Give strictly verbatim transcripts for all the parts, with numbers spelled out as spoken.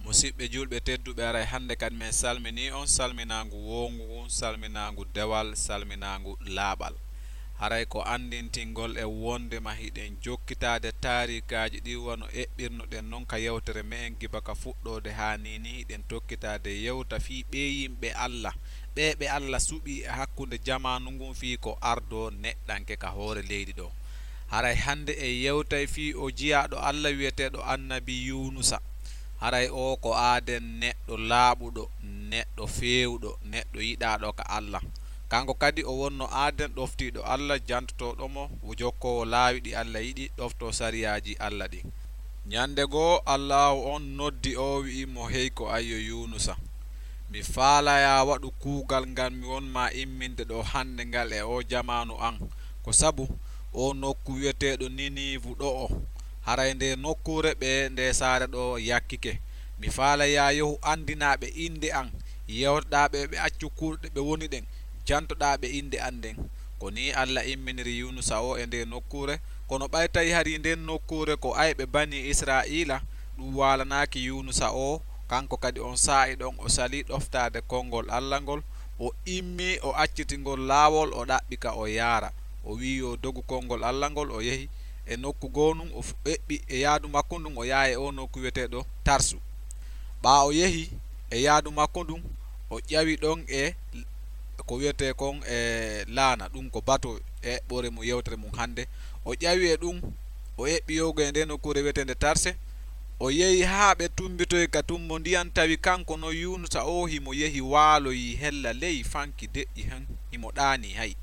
Musiɓɓe julɓe tedduɓe, aray hannde kadi men salminii on salminaangu woowngu ngun, salminaangu dewal, salminaangu laaɓal. Haray ko anndintingol e wonndema hiɗen jokkitaade taariikaaji ɗin wano eɓɓirnoɗen non ka yewtere me'en giba ka fuɗɗoode haa nii, nii hiɗen tokkitaade yewta fii ɓee yimɓe Alla, ɓee ɓe Alla suɓii e hakkunde jamaanu ngun fii ko ardoo neɗɗanke ka hoore leydi ɗoo. Haray hannde en yewtay fii o jiyaaɗo Alla wi'eteeɗo annabi Yuunusa. Haray oo ko aaden neɗɗo laaɓuɗo, neɗɗo feewuɗo, neɗɗo yiɗaaɗo ka Alla. Kanko kadi o wonno aaden ɗoftiiɗo Alla, jantotooɗo mo, jokkoowo laawi ɗi Alla yiɗi, ɗoftoo sariyaaji Alla ɗin. Ñannde goo Allaahu on noddi oo wi'i mo, hey ko ayyo Yuunusa, mi faalayaa waɗu kuugal ngal mi won maa imminde ɗoo hannde ngal e oo jamaanu an, ko sabu oo nokku wi'eteeɗo Niniivu ɗo'o, haray ndee nokkuure ɓe ndee saare ɗoo yakkike. Mi faalayaa yahu anndinaa ɓe innde an, yewtoɗaa ɓe ɓe accu kuuɗe ɗe ɓe woni ɗen, jantoɗaa ɓe innde an nden. Ko nii Alla imminiri Yuunusa oo e ndee nokkuure. Kono ɓay tawi hari nden nokkuure ko ayɓe Banii Israa'iila, ɗun waalanaaki Yuunusa oo. Kanko kadi on saa'i ɗon o salii ɗoftaade konngol Alla ngol, o immii o acciti ngol laawol, o ɗaɓɓi ka o yaara. O wi'i yo dogu konngol Alla ngol, o yehi e nokku goo ndun, o f-, eɓɓi e yaadu makko ndun, o yaha e oo nokku wi'eteeɗo Tarsu. Ɓaa o yehi e yaadu makko ndun, o ƴawi ɗon e ko wi'etee kon e laana, ɗun ko bato e eɓɓoore mun, yewtere mun hannde. O ƴawi e ɗun, o eɓɓi yahugo e ndee nokkuure wi'eteende Tarse. O yehi haa ɓe tumbitoyi ka tumbo ndiyan, tawi kanko non Yuunusa oo himo yehi waaloyi hella ley fanki deƴƴi hen, himo ɗaanii hay.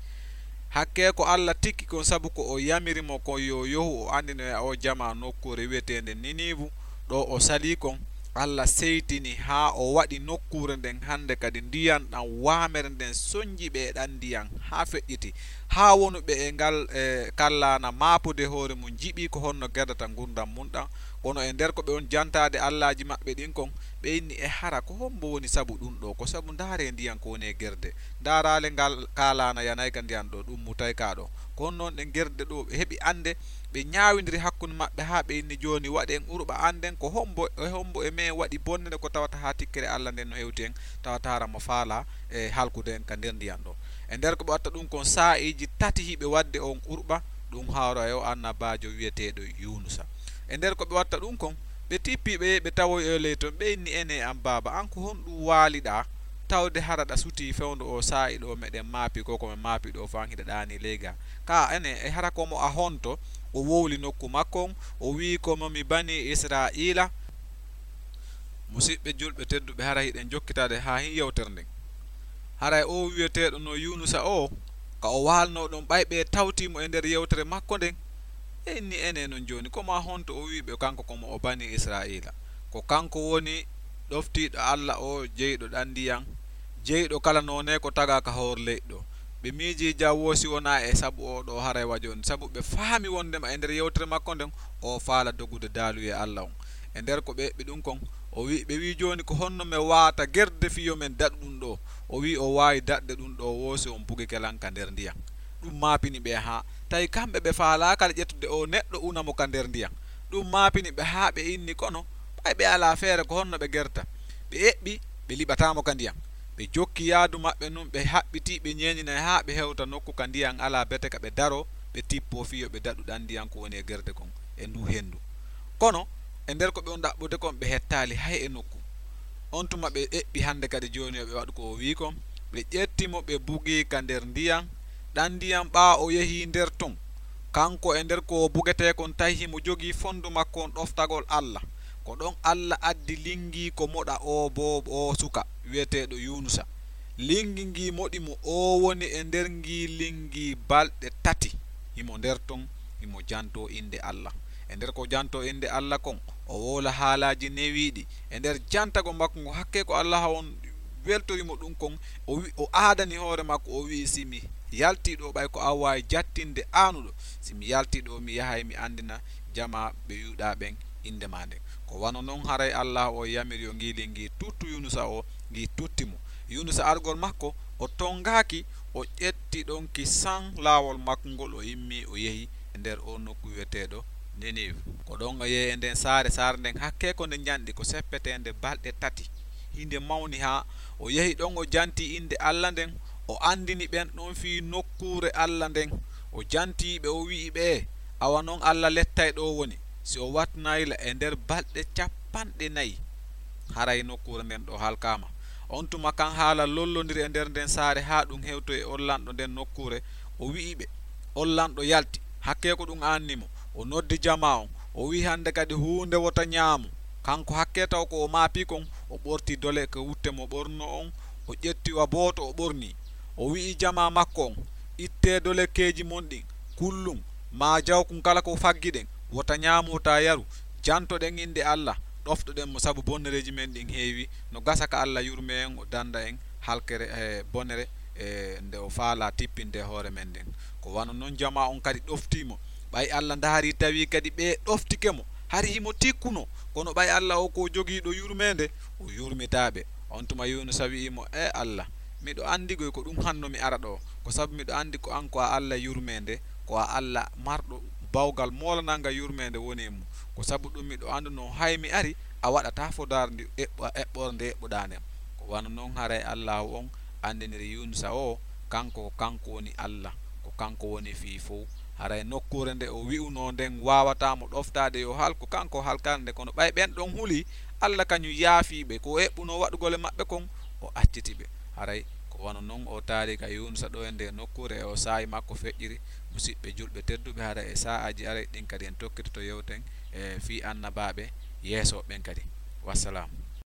Hakkee ko Alla tikki kon, sabu ko o yamiri mo kon yo yahu o anndinoya oo jamaa nokkuure wi'eteende Niniivu, ɗo o salii kon. Alla seytini haa o waɗi nokkuure nden hannde kadi ndiyan ɗan waamere nden sonji ɓe e ɗan ndiyan haa feƴƴiti, haa wonuɓe e ngal, e, kallaana maapude hoore mun njiɓii ko honno gerdata ngurndan mun ɗan. Kono e nder ko ɓe on jantaade allaaji maɓɓe ɗin kon, ɓe inni, e hara ko hombo woni sabu ɗun ɗoo? Ko sabu ndaaree ndiyan ko woni e gerde. Ndaaraale ngal kaalaana yanay ka ndiyan ɗoo, ɗun mutay ka ɗoo. Ko honno non ɗen gerde ɗoo ɓe heɓi annde, ɓe ñaawindiri hakkunde maɓɓe haa ɓe inni, jooni waɗen urɓa annden ko hombo, e hombo e men waɗi bonnere ko tawata haa tikkere Alla nden no hewti en, tawata hara mo faalaa e halkude en ka nder ndiyan ɗoo. E nder ko ɓe watta ɗun kon saa'iiji tati hiɓe waɗde on urɓa, ɗun hawra e o annabaajo wi'eteeɗo Yuunusa. E nder ko ɓe watta ɗun kon, ɓe tippii ɓe yehi ɓe tawoyi e ley ton, ɓe inni, enee an baaba, an ko honɗun waaliɗaa? Tawde hara ɗa sutii fewndo oo saa'i ɗoo meɗen maapi ko, ko men maapi ɗoo fan hiɗa ɗaanii ley gaa. Kaa enee, e hara ko mo a honto? O wowli nokku makko on, o wi'i, ko mo mi Banii Israa'iila. Musiɓɓe julɓe tedduɓe, hara hiɗen jokkitaade haa hin yewtere nden. Haray oo wi'eteeɗo no Yuunusa oo, ka o waalnoo ɗon, ɓay ɓe tawtii mo e nder yewtere makko nden, ɓe inni, enee non jooni, ko maa honto? O wi'i ɓe, kanko ko mo o Banii Israa'iila. Ko kanko woni ɗoftiiɗo Alla oo, jeyɗo ɗan ndiyan, jeyɗo kala noone ko tagaa ka hoore leyɗe ɗoo. Ɓe miijii jaw woo si wonaa e sabu oo ɗoo haray wa jooni, sabu ɓe faami wonndema e nder yewtere makko nden, o faala dogude daaluye Alla on. E nder ko ɓe eɓɓi ɗun kon, o wi'i, ɓe wi'i, jooni ko honno men waawata gerde fii yo men daɗu ɗun ɗoo? O wi'i o waawi daɗde ɗun ɗoo woo si on bugike lan ka nder ndiyan. Ɗun maapini ɓe haa tawi kamɓe ɓe faalaaka ƴettude oo neɗɗo una mo ka nder ndiyan. Ɗun maapini ɓe haa ɓe inni, kono ɓay ɓe alaa feere, ko honno ɓe gerta? Ɓe eɓɓi, ɓe liɓataa mo ka ndiyan. Ɓe jokki yaadu maɓɓe ndun, ɓe haɓɓitii, ɓe ñeeñinay haa ɓe hewta nokku ka ndiyan alaa bete ka ɓe daroo, ɓe tippoo fii yo ɓe daɗu ɗan ndiyan ko woni e gerde kon e nduu henndu. Kono e nder ko ɓe on ɗaɓɓude kon, ɓe hettaali hay e nokku. On tuma ɓe eɓɓi hannde kadi jooni yo ɓe waɗu ko o wi'i kon. Ɓe ƴetti mo, ɓe bugii ka nder ndiyan. Ɗan ndiyan, ɓaa o yehii nder ton, kanko e nder ko o bugetee kon, tawi himo jogii fonndu makko on ɗoftagol Alla. Ko ɗon Alla addi linngii ko moɗa oo boobo, oo suka wi'eteeɗo Yuunusa. Linngi ngii moɗi mo, oo woni e nder ngii linngi balɗe tati. Himo nder ton, himo jantoo innde Alla. E nder ko jantoo innde Alla kon, o wowla haalaaji newiiɗi. E nder jantagol makko ngo, hakkee ko Alla on weltori mo ɗun kon, o wi-, o aadani hoore makko, o wi'i, si mi yaltii ɗoo, ɓay ko an waawi jattinde aanuɗo, si mi yaltii ɗoo, mi yahay mi anndina jamaa ɓe Yuuda ɓen innde maa nden. Ko wano non haray Alla o yamiri yo ngii linngi tuttu Yuunusa oo, ngii tutti mo. Yuunusa argol makko, o tongaaki, o ƴetti ɗon ki san laawol makko ngol, o immii, o yehi e nder oo nokku wi'eteeɗo Ninive. Ko ɗon o yehi e nden saare, saare nden hakkee ko nde njanɗi, ko seppeteende balɗe tati. Hinde mawni haa o yehi ɗon, o janti innde Alla nden, o anndini ɓen ɗon fii nokkuure Alla nden. O jantii ɓe, o wi'i ɓe, "Awa non Alla lettay ɗo woni, si o wattanaay la e nder balɗe cappanɗe nayi, haray nokkuure nden ɗo halkaama." On tuma kan haala lollondiri e nder nden saare haa ɗum hewtoyi e on lanɗo nden nokkuure, o wi'i ɓe, on lanɗo yalti, hakkee ko ɗum aanni mo. O noddi jamaa on, o wi'i, "Hande kadi huunde wota ɲaamu." Kanko hakkee taw ko o maapii kon, o ɓorti dole ko wutte mo ɓorno on, o ƴetti wa booto o ɓorni. O wi'i jamaa makko on, "Ittee dolekeeji mon ɗin, kullum, maa jawkun kala ko faggiɗen, wota ɲaamu, wota yaru, jantoɗen innde Alla, ɗoftoɗen mo sabu bonnereeji men ɗin heewi, no gasa ka Alla yurmee en, o danda en halkere e bonere e nde o faalaa tippinde hoore men nden." Ko wano non jamaa on kadi ɗoftii mo. Ɓay Alla ndaari tawi kadi ɓe ɗoftike mo, hari himo tikkuno, kono ɓay Alla o ko jogiiɗo yurmeende, o yurmitaa ɓe. On tuma Yuunusa wi'i mo, "E Alla, miɗo anndi goy ko ɗum hanno mi ara ɗo, ko sabu miɗo anndi ko an ko a Alla yurmeende, ko a Alla marɗo bawgal moolananga yurmeende woni e mum. Ko sabu ɗum miɗo anndunoo hay mi ari, a waɗataa fodaarndi eɓɓo-, eɓɓorde eɓɓuɗaa nden." Ko wano non haray Allaahu on anndiniri Yuunusa o, kanko ko kanko woni Alla, ko kanko woni fii fow. Haray nokkuure nde o wi'unoo nden waawataa mo ɗoftaade yo halku, kanko o halkaali nde, kono ɓay ɓen ɗon huli, Alla kañum yaafii ɓe, ko o eɓɓunoo waɗugol e maɓɓe kon, o acciti ɓe. Haray ko wano non o taari ka Yuunusa ɗo e nde nokkuure e o saa'i makko feƴƴiri. Musiɓɓe julɓe tedduɓe, haray e saa'aaji aray ɗin kadi en tokkitoto yewten e fii annabaaɓe yeeso ɓen kadi. Wassalam.